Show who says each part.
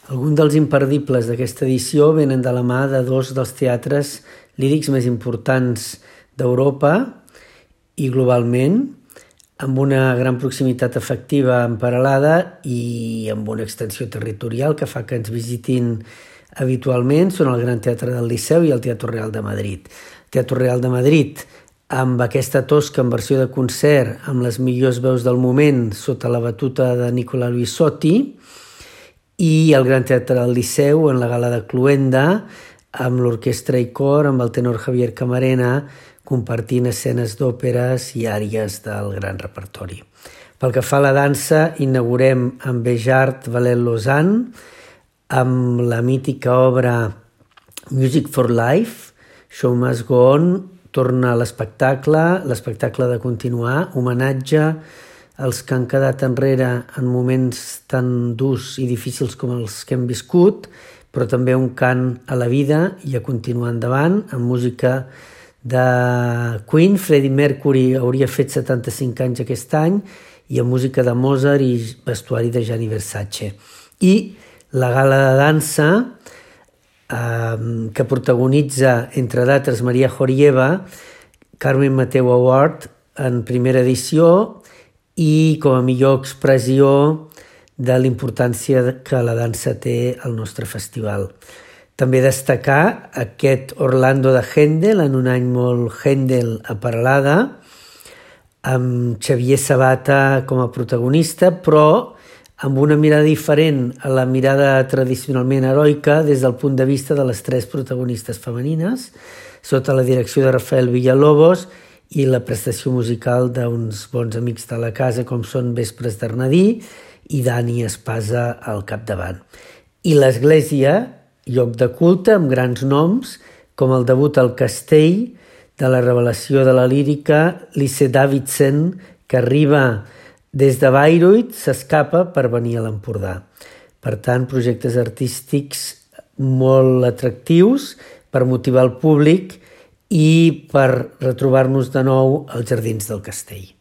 Speaker 1: Alguns dels imperdibles d'aquesta edició venen de la mà de dos dels teatres lírics més importants d'Europa i globalment, amb una gran proximitat afectiva en Peralada i amb una extensió territorial que fa que ens visitin habitualment. Són el Gran Teatre del Liceu i el Teatre Real de Madrid. El Teatre Real de Madrid, amb aquesta Tosca en versió de concert, amb les millors veus del moment, sota la batuta de Nicola Luisotti, i el Gran Teatre del Liceu en la gala de Cluenda, amb l'orquestra i cor, amb el tenor Javier Camarena, compartint escenes d'òperes i àries del gran repertori. Pel que fa a la dansa, inaugurem amb Béjart Valet Lausanne, amb la mítica obra Music for Life, Show Must Go On, torna a l'espectacle de continuar, homenatge als que han quedat enrere en moments tan durs i difícils com els que hem viscut, però també un cant a la vida i a continuar endavant, amb música de Queen. Freddie Mercury hauria fet 75 anys aquest any, i amb música de Mozart i vestuari de Gianni Versace. I la gala de dansa, que protagonitza, entre d'altres, Maria Jorieva, Carmen Mateu Award en primera edició, i com a millor expressió de la importància que la dansa té al nostre festival. També destacar aquest Orlando de Händel, en un any molt Händel a Peralada, amb Xavier Sabata com a protagonista, però amb una mirada diferent a la mirada tradicionalment heroica des del punt de vista de les tres protagonistes femenines, sota la direcció de Rafael Villalobos i la prestació musical d'uns bons amics de la casa com són Vespres d'Arnadí i Dani Espasa al capdavant. I l'església, lloc de culte amb grans noms, com el debut al Castell de la revelació de la lírica Lise Davidsen, que arriba des de Bayreuth, s'escapa per venir a l'Empordà. Per tant, projectes artístics molt atractius per motivar el públic i per retrobar-nos de nou als Jardins del Castell.